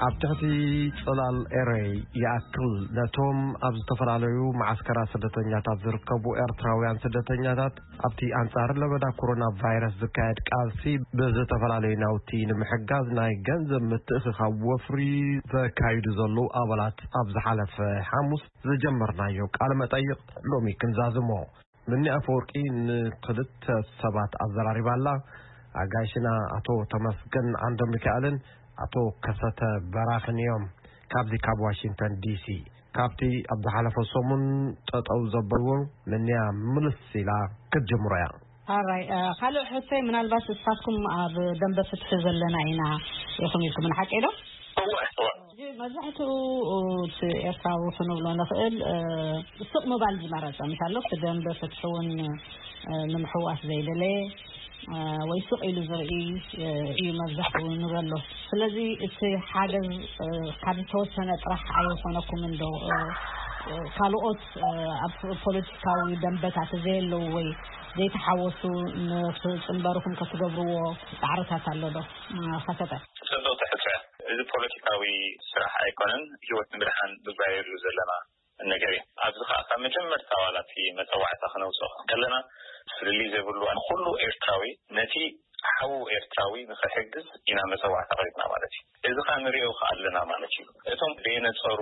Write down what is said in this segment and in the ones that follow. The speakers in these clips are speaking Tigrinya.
ኣብ ትሕቲ ጽላል ኤረይ ይኣክል ነቶም ኣብ ዝተፈላለዩ መዓስከራት ስደተኛታት ዝርከቡ ኤርትራውያን ስደተኛታት ኣብቲ ኣንጻር ለበዳ ኮሮና ቫይረስ ዝካየድ ቃልሲ ብዝተፈላለዩ ናውቲ ንምሕጋዝ ናይ ገንዘብ ምትእኽኻብ ወፍሪ ዘካይዱ ዘለዉ ኣባላት ኣብ ዝሓለፈ ሓሙስ ዝጀመርናዮ ቃለ መጠይቕ ሎሚ ክንዛዝሞ። ምኒ ኣፈወርቂ ንክልተ ሰባት ኣዘራሪባ ኣላ። ኣጋይሽና ኣቶ ተመስገን ዓንደ ሚካኤልን ኣቶ ከሰተ በራኽን እዮም። ካብዚ ካብ ዋሽንግተን ዲሲ፣ ካብቲ ኣብ ዝሓለፈ ሰሙን ጠጠው ዘበልዎ ምንያ ምልስ ኢላ ክትጅምሮ እያ። ኣራይ፣ እ፣ ካልእ ሕቶይ፣ ምናልባት ንስኻትኩም ኣብ ደንበ ፍትሒ ዘለና ኢና ኢኹም ኢልኩም፣ ሓቂ ዶ? እወ፣ እወ። ሕጂ መብዛሕትኡ እቲ ኤርትራዊ ክንብሎ ንኽእል፣ እ፣ ስቕ ምባል ዝመረጸ፣ ምሽ ኣሎ፣ እቲ ደንበ ፍትሒ እውን፣ እ፣ ንምሕዋስ ዘይደለየ፣ እ፣ ወይ ስቕ ኢሉ ዝርኢ፣ እ፣ እዩ መብዛሕትኡ ንበሎ። ስለዚ እቲ ሓገዝ፣ እ፣ ካብ ዝተወሰነ ጥራሕ ኣይኾነኩምን ዶ? እ፣ እ፣ ካልኦት፣ እ፣ ኣብ ፖለቲካዊ ደንበታት ዘየለዉ ወይ ዘይተሓወሱ ንክጽንበሩኹም ከትገብርዎ ጻዕርታት ኣሎ ዶ? እ፣ ከሰተ። ጽብቕቲ ሕቶ እያ። እዚ ፖለቲካዊ ስራሕ ኣይኮነን፣ ህይወት ንምድሓን ንጋየሉ ዘለና ነገር እዩ። ኣብዚ ኸዓ ካብ መጀመርታ ዋላ እቲ መጸዋዕታ ክነውጽኦ ከለና፣ ፍልልይ ዘይብሉ ንኹሉ ኤርትራዊ፣ ነቲ ሓዉ ኤርትራዊ ንኽሕግዝ ኢና መጸዋዕታ ቀሪብና ማለት እዩ። እዚ ኸዓ ንሪኦ ኸዓ ኣለና ማለት እዩ። እቶም ደይነጸሩ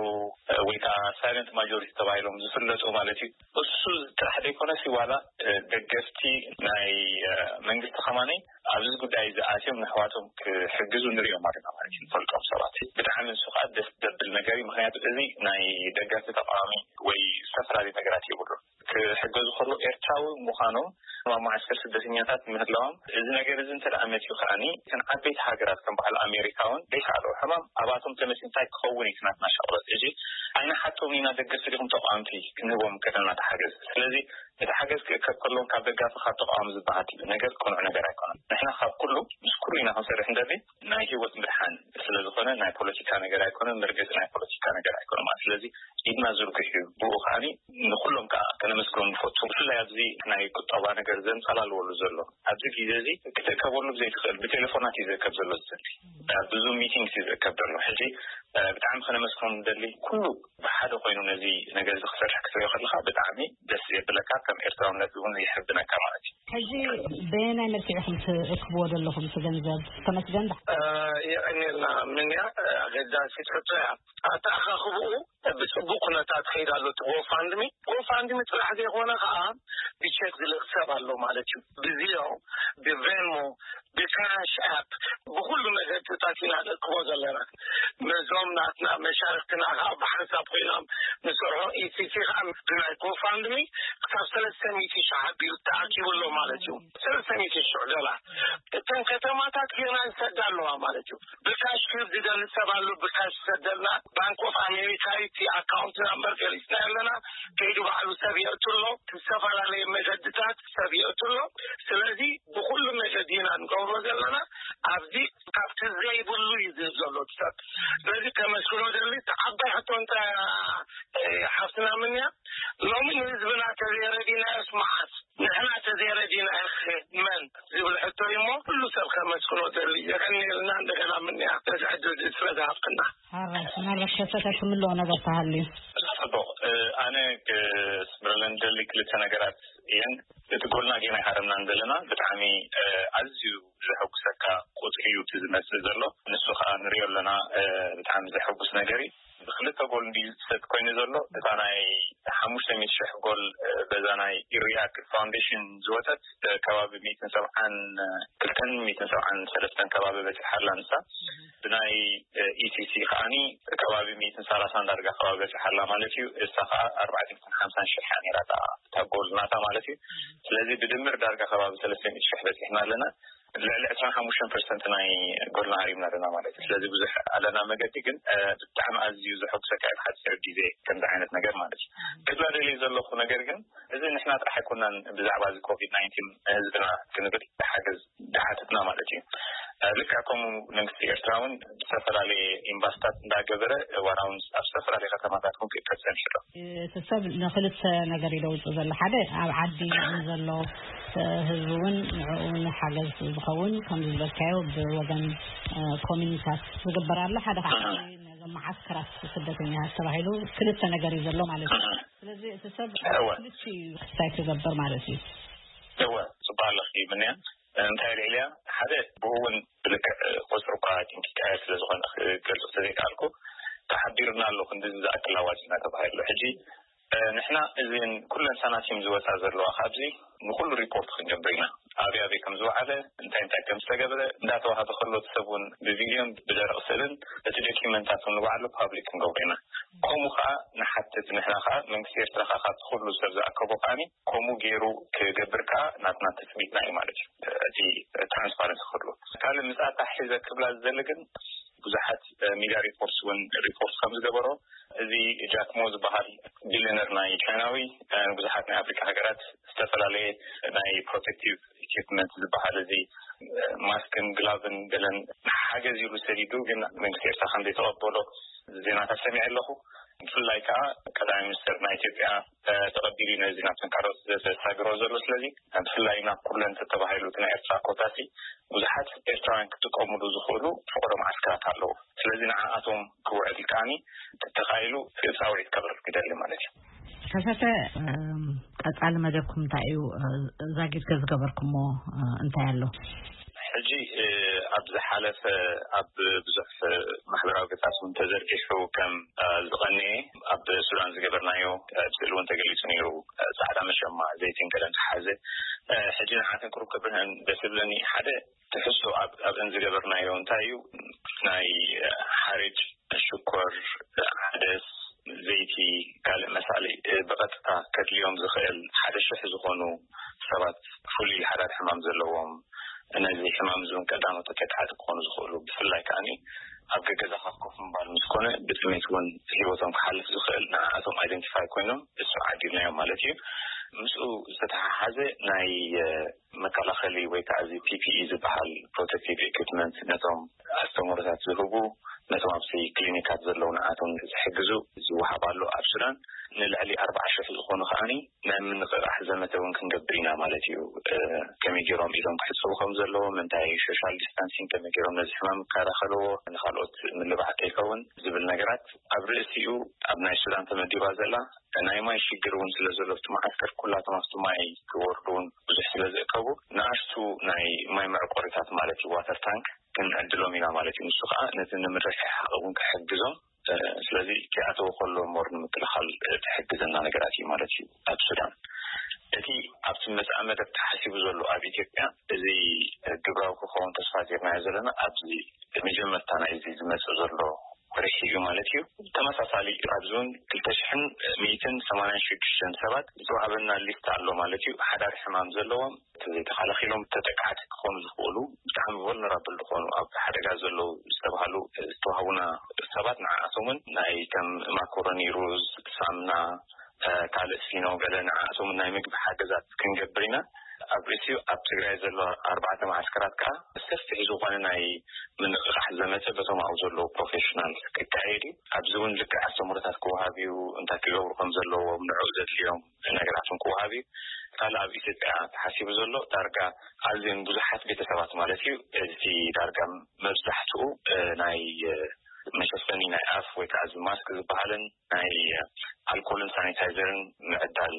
ወይ ከዓ ሳይለንት ማጆሪቲ ተባሂሎም ዝፍለጡ ማለት እዩ፣ እሱ ጥራሕ ዘይኮነሲ ዋላ፣ እ፣ ደገፍቲ ናይ፣ እ፣ መንግስቲ ከማኒ ኣብዚ ጉዳይ እዚ ኣትዮም ንኣሕዋቶም ክሕግዙ ንሪኦም ኣለና ማለት እዩ። ንፈልጦም ሰባት ብጣዕሚ ንሱ ከዓ ደስ ዘብል ነገር እዩ። ምኽንያቱ እዚ ናይ ደገፍቲ ተቃዋሚ ወይ ዝተፈላለዩ ነገራት የብሉን። ክሕገዙ ከሎ ኤርትራዊ ምዃኖም ኣብ መዓስከር ስደተኛታት ምህላዎም፣ እዚ ነገር እዚ እንተ ደኣ መጺኡ ከኣኒ እተን ዓበይቲ ሃገራት ከም በዓል ኣሜሪካ እውን ዘይከኣልኦ ሕማም ኣባቶም ተመጺኡ እንታይ ክኸውን እዩ እቲ ናትና ሻቕሎት? እዚ ኣይንሓቶም ኢና ደገፍቲ ዲኹም ተቃወምቲ ክንህቦም ከለና ተሓገዝ። ስለዚ እቲ ሓገዝ ክእከብ ከሎን ካብ ደጋፊ ካብ ተቃዋሚ ዝበሃል ነገር ቅኑዕ ነገር ኣይኮነን። ንሕና ካብ ኩሉ ምስ ኩሉ ኢና ክንሰርሕ እንደሊ ናይ ህይወት ምድሓን ስለ ዝኾነ ናይ ፖለቲካ ነገር ኣይኮነን፣ መርገጺ ናይ ፖለቲካ ነገር ኣይኮነን ማለት። ስለዚ ኢድና ዝርግሕ እዩ። ብኡ ከኣኒ ንኹሎም ከኣ ከነመስግኖም ንፈቱ። ብፍላይ ኣብዚ ናይ ቁጠባ ነገር ዘንጸላልወሉ ዘሎ ኣብዚ ግዜ እዚ ክትእከበሉ ዘይትኽእል ብቴሌፎናት እዩ ዝእከብ ዘሎ። እዚ ኣብ ብዙ ሚቲንግስ እዩ ዝእከብ ዘሎ። ሕጂ፣ እ፣ ብጣዕሚ ከነመስግኖም ንደሊ። ኩሉ ብሓደ ኮይኑ ነዚ ነገር እዚ ክሰርሕ ክትሪኦ ከለኻ ብጣዕሚ ደስ የብለካ፣ ከም ኤርትራውነት እውን የሕብነካ ማለት እዩ። ሕጂ በየናይ መልክዕ ኢኹም ትእክብዎ ዘለኹም እቲ ገንዘብ? ተመስገን ዳ- እ፣ የቐንየልና ምንያ፣ እ፣ ኣገዳሲት ሕቶ እያ። ኣተኣኻኽብኡ ብጽቡቕ ኩነታት ከይድ ኣሎ። እቲ ጎፋንድሚ፣ ጎፋንድሚ ጥራሕ ዘይኮነ ከኣ ብቸክ ዝልእኽ ሰብ ኣሎ ማለት እዩ። ብዚዮ፣ ብቬንሞ፣ ብካሽ ኣፕ፣ ብኹሉ መገድታት ኢና ንእክቦ ዘለና። ነዞም ናትና መሻርክትና ከኣ ብሓንሳብ ኮይኖም ንሰርሖ። ኢሲሲ ከኣ ብናይ ጎፋንድሚ ክሳብ ሰለስተ ሚእቲ ሺሕ ኣቢሉ ተኣኪቡ ኣሎ ማለት እዩ። ሰለስተ ሚእቲ ሺሕ ዶላር። እተን ከተማታት ጌና ይሰዳ ኣለዋ ማለት እዩ። ብካሽ ክህብ ዝደሊ ሰብ ኣሎ፣ ብካሽ ይሰደልና። ባንክ ኦፍ ኣሜሪካ እዩ እቲ ኣካውንት ናምበር ገሊጽና ኣለና። ከይዱ ባዕሉ ሰብ የእቱ ኣሎ። ዝተፈላለየ መገድታት ሰብ የእቱ ኣሎ። ስለዚ ብኹሉ መገዲ ኢና ንገብሮ ዘለና። ኣብዚ ካብቲ ዘይብሉ እዩ ዝህብ ዘሎ እቲ ሰብ። ስለዚ ከመስግኖ ደሊ። እቲ ዓባይ ሕቶ እንታይ እያ፣ እ፣ ሓፍትና ምንያ? ሎሚ ንህዝብና ተዘይረዲናዮስ መዓስ? ንሕና ተዘይረዲናዮ መን ዝብል ሕቶ እዩ እሞ፣ ኩሉ ሰብ ከመስግኖ ደሊ። የቐንየልና እንደገና ምንያ ነዚ ዕድል እዚ ስለ ዝሃብክና። ሓራይ፣ ምናልባት ከሰተ ክምልኦ ነገር ተሃልዩ። ጽቡቕ፣ እ፣ ኣነ ክስምረለን ደሊ ክልተ ነገራት እየን። እቲ ጎልና ጌና ኣይሃረምናን ዘለና። ብጣዕሚ፣ እ፣ ኣዝዩ ዘሐጉሰካ ቁጽሪ እዩ እቲ ዝመጽእ ዘሎ። ንሱ ኸኣ ንሪኦ ኣለና፣ እ፣ ብጣዕሚ ዘሐጉስ ነገር እዩ። ብክልተ ጎል እንድዩ ዝሰጥ ኮይኑ ዘሎ። እታ ናይ ሓሙሽተ ሚእቲ ሽሕ ጎል፣ እ፣ በዛ ናይ ኢሪያክ ፋውንዴሽን ዝወጸት፣ እ፣ ከባቢ ሚእትን ሰብዓን ክልተን ሚእትን ሰብዓን ሰለስተን ከባቢ በጺሓ ኣላ ንሳ። ብናይ፣ እ፣ ኢሲሲ ከኣኒ ከባቢ ሚእትን ሰላሳን ዳርጋ ከባቢ በጺሓ ኣላ ማለት እዩ። እሳ ከኣ ኣርባዕተ ሚእትን ሓምሳን ሽሕ እያ ነይራ እታ፣ እታ ጎል ናታ ማለት እዩ። ስለዚ ብድምር ዳርጋ ከባቢ ሰለስተ ሚእቲ ሽሕ በጺሕና ኣለና። ልዕሊ ዕስራን ሓሙሽተን ፐርሰንት ናይ ጎልና ሃሪምና ኣለና ማለት እዩ። ስለዚ ብዙሕ ኣለና መገዲ፣ ግን፣ እ፣ ብጣዕሚ ኣዝዩ ዘሐጉሰካ እዩ፣ ብሓጺር ግዜ ከምዚ ዓይነት ነገር ማለት እዩ። ክብላ ደልየ ዘለኹ ነገር ግን፣ እዚ ንሕና ጥራሕ ኣይኮናን ብዛዕባ እዚ ኮቪድ ናይንቲን ንህዝብና ክንብል ሓገዝ ዝሓተትና ማለት እዩ። ልክዕ ከምኡ መንግስቲ ኤርትራ እውን ዝተፈላለየ ኢንቨስትመንት እንዳገበረ ዋላ እውን ኣብ ዝተፈላለየ ከተማታት እውን ክእከብ ጸኒሑ ኣሎ። እቲ ሰብ ንኽልተ ነገር እዩ ደውፁ ዘሎ። ሓደ ኣብ ዓዲ ንዘሎ ህዝቢ እውን ንዕኡ ንሓገዝ ዝኸውን ከምዚ ዝበልካዮ ብወገን ኮሚኒታት ዝግበር ኣሎ። ሓደ ከዓ ነዞም መዓስከራት ስደተኛታት ተባሂሉ ክልተ ነገር እዩ ዘሎ ማለት እዩ። ስለዚ እቲ ሰብ ክልቲ ክስታይ ክገብር ማለት እዩ። እወ፣ ጽቡቅ ኣለኺ ምንያ። እንታይ ልዕልያ ሓደ ብኡ እውን ብልክዕ ቁፅሪ እኳ ቲንኪ ቀየር ስለ ዝኾነ ክገልፁ ተዘይከኣልኩ፣ ተሓቢርና ኣሎ ክንዲ ዝኣክል ኣዋጅ እናተባሃለ ኣሎ። ሕጂ ንሕና እዚን ኩለን ሳናቲም ዝወፃ ዘለዋ ካብዚ ንኩሉ ሪፖርት ክንገብር ኢና። ኣበይ ኣበይ ከም ዝወዓለ፣ እንታይ እንታይ ከም ዝተገብረ እንዳተዋሃበ ከሎ እቲ ሰብ እውን ብቪድዮን ብደረቕ ስእልን እቲ ዶኪመንታት እውን ንባዕሉ ፓብሊክ ክንገብሮ ኢና። ከምኡ ከዓ ንሓትት። ንሕና ከዓ መንግስቲ ኤርትራ ከዓ ካብቲ ኩሉ ሰብ ዝኣከቦ ከዓኒ ከምኡ ገይሩ ክገብር ከዓ ናትና ትፅቢትና እዩ ማለት እዩ። እቲ ትራንስፓረንሲ ክህሉ ካልእ ምስኣታ ሒዘ ክብላ ዝደሊ ግን ብዙሓት ሚድያ ሪፖርትስ እውን ሪፖርት ከም ዝገበሮ እዚ ጃክሞ ዝበሃል ቢሊነር ናይ ቻይናዊ ብዙሓት ናይ ኣፍሪካ ሃገራት ዝተፈላለየ ናይ ፕሮቴክቲቭ ኢኩፕመንት ዝበሃል እዚ ማስክን ግላቭን ገለን ሓገዝ ኢሉ ሰዲዱ ግን መንግስቲ ኤርትራ ከም ዘይተቐበሎ ዜናታት ሰሚዐ ኣለኹ። ብፍላይ ከዓ ቀዳማይ ሚኒስትር ናይ ኢትዮጵያ ተቐቢሉ ነዚ ናብ ተንካሮት ዘተሳግሮ ዘሎ። ስለዚ ብፍላይ ናብ ኩለን ተተባሂሉ እቲ ናይ ኤርትራ ኮታሲ ብዙሓት ኤርትራውያን ክጥቀሙሉ ዝኽእሉ ፍቕዶ መዓስከራት ኣለዉ። ስለዚ ንዓኣቶም ክውዕል ከዓኒ ተተኻኢሉ ፃውዒት ከቕርብ ክደሊ ማለት እዩ። ከሰተ ቀፃሊ መደብኩም እንታይ እዩ? ዛጊድ ከዝገበርኩሞ እንታይ ኣሎ? ሕጂ ኣብ ዝሓለፈ ኣብ ብዙሕ ማሕበራዊ ገጻት እውን ተዘርጊሑ ከም ዝቐንየ ኣብ ሱዳን ዝገበርናዮ ስእሊ እውን ተገሊጹ ነይሩ። ጻዕዳ መሸማ ዘይትን ገለን ዝሓዘ ሕጂ ንዓተን ቅሩብ ክብርህን ደስ ዝብለኒ ሓደ ትሕዝቶ ኣብ ኣብአን ዝገበርናዮ እንታይ እዩ ናይ ሓርጭ ሽኮር ዓደስ ዘይቲ ካልእ መሳሊ ብቐጥታ ከድልዮም ዝኽእል ሓደ ሽሕ ዝኾኑ ሰባት ፍሉይ ሓዳድ ሕማም ዘለዎም ነዚ ሕማም እዚ እውን ቀዳሞት ተጠቃዕቲ ክኾኑ ዝኽእሉ ብፍላይ ከዓኒ ኣብ ገገዛኻ ኮፍ ምባል ምስ ኮነ ብጥሜት እውን ህይወቶም ክሓልፍ ዝኽእል ንዓኣቶም ኣይደንቲፋይ ኮይኖም እሱ ዓዲልናዮም ማለት እዩ። ምስኡ ዝተተሓሓዘ ናይ መከላኸሊ ወይ ከዓ እዚ ፒ ፒ ኢ ዝበሃል ፕሮቴክቲቭ ኢኩፕመንት ነቶም ኣስተምህሮታት ዝህቡ ነቶም ኣብዚ ክሊኒካት ዘለዉ ንዓቶም ዝሕግዙ ዝወሃብ ኣሎ ኣብ ሱዳን። ንልዕሊ ኣርባዓ ሽሕ ዝኾኑ ከዓኒ ናይ ምንቕቓሕ ዘመተ እውን ክንገብር ኢና ማለት እዩ። ከመይ ገይሮም ኢዶም ክሕፀቡ ከም ዘለዎም እንታይ ሶሻል ዲስታንሲንግ ከመይ ገይሮም ነዚ ሕማም ይከላኸልዎ ንካልኦት ምልባዕ ከይከውን ዝብል ነገራት ኣብ ርእሲኡ ኣብ ናይ ሱዳን ተመዲባ ዘላ ናይ ማይ ሽግር እውን ስለ ዘሎ ኣብቲ መዓስከር ኩላቶም ኣብቲ ማይ ክወርዱ እውን ብዙሕ ስለ ዝእከቡ ንኣሽቱ ናይ ማይ መዕቆሪታት ማለት እዩ ዋተር ታንክ ክንዕድሎም ኢና ማለት እዩ። ንሱ ከዓ ነቲ ንምርሕሓቕ እውን ክሕግዞም ስለዚ ክኣተው ከሎ ሞር ንምክልኻል ትሕግዘና ነገራት እዩ ማለት እዩ። ኣብ ሱዳን እቲ ኣብቲ መፅኣ መደብ ተሓሲቡ ዘሎ ኣብ ኢትዮጵያ እዚ ግብራዊ ክኸውን ተስፋ ጌርናዮ ዘለና ኣብዚ መጀመርታ ናይዚ ዝመፅእ ዘሎ ወርሒ እዩ ማለት እዩ። ተመሳሳሊ ኣብዚ እውን ክልተ ሽሕን ሚእትን ሰማንያን ሽዱሽተን ሰባት ዝተዋህበና ሊስት ኣሎ ማለት እዩ። ሓዳር ሕማም ዘለዎም ዘይተኸላኺሎም ተጠቃዕቲ ክኾኑ ዝኽእሉ ብጣዕሚ ቮልነራብል ዝኾኑ ኣብ ሓደጋ ዘለዉ ዝተባሃሉ ዝተዋህቡና ሰባት ንዓኣቶምን ናይ ከም ማኮሮኒ ሩዝ ሳምና ካልእ ፊኖ ገለ ንዓኣቶም ናይ ምግቢ ሓገዛት ክንገብር ኢና። ኣብ ርእሲኡ ኣብ ትግራይ ዘሎ ኣርባዕተ ማዓስከራት ከዓ ሰፊሕ ዝኾነ ናይ ምንቕቓሕ ዘመተ በቶም ኣብኡ ዘለዉ ፕሮፌሽናል ክካየድ እዩ። ኣብዚ እውን ልክዕ ኣስተምህሮታት ክወሃብ እዩ፣ እንታይ ክገብሩ ከም ዘለዎም ንዕኡ ዘድልዮም ነገራትን ክወሃብ እዩ። ካልእ ኣብ ኢትዮጵያ ተሓሲቡ ዘሎ ዳርጋ ኣዝዮም ብዙሓት ቤተሰባት ማለት እዩ እቲ ዳርጋ መብዛሕትኡ ናይ መሸፈኒ ናይ ኣፍ ወይ ከዓ እዚ ማስክ ዝበሃልን ናይ ኣልኮልን ሳኒታይዘርን ምዕዳል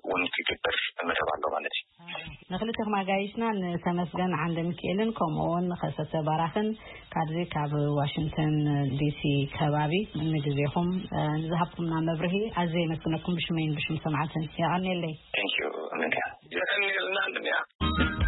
እውን ክግበር መደብ ኣሎ ማለት እዩ። ንክልተኹም ኣጋይሽና ንተመስገን ዓንደ ሚካኤልን ከምኡ እውን ንኸሰተ ባራኽን ካብዚ ካብ ዋሽንግተን ዲሲ ከባቢ ንግዜኹም ንዝሃብኩምና መብርሂ ኣዝየ የመስግነኩም ብሽመይን ብሽም ሰማዕትን የቐንየለይ። Thank you. የቐንየልና።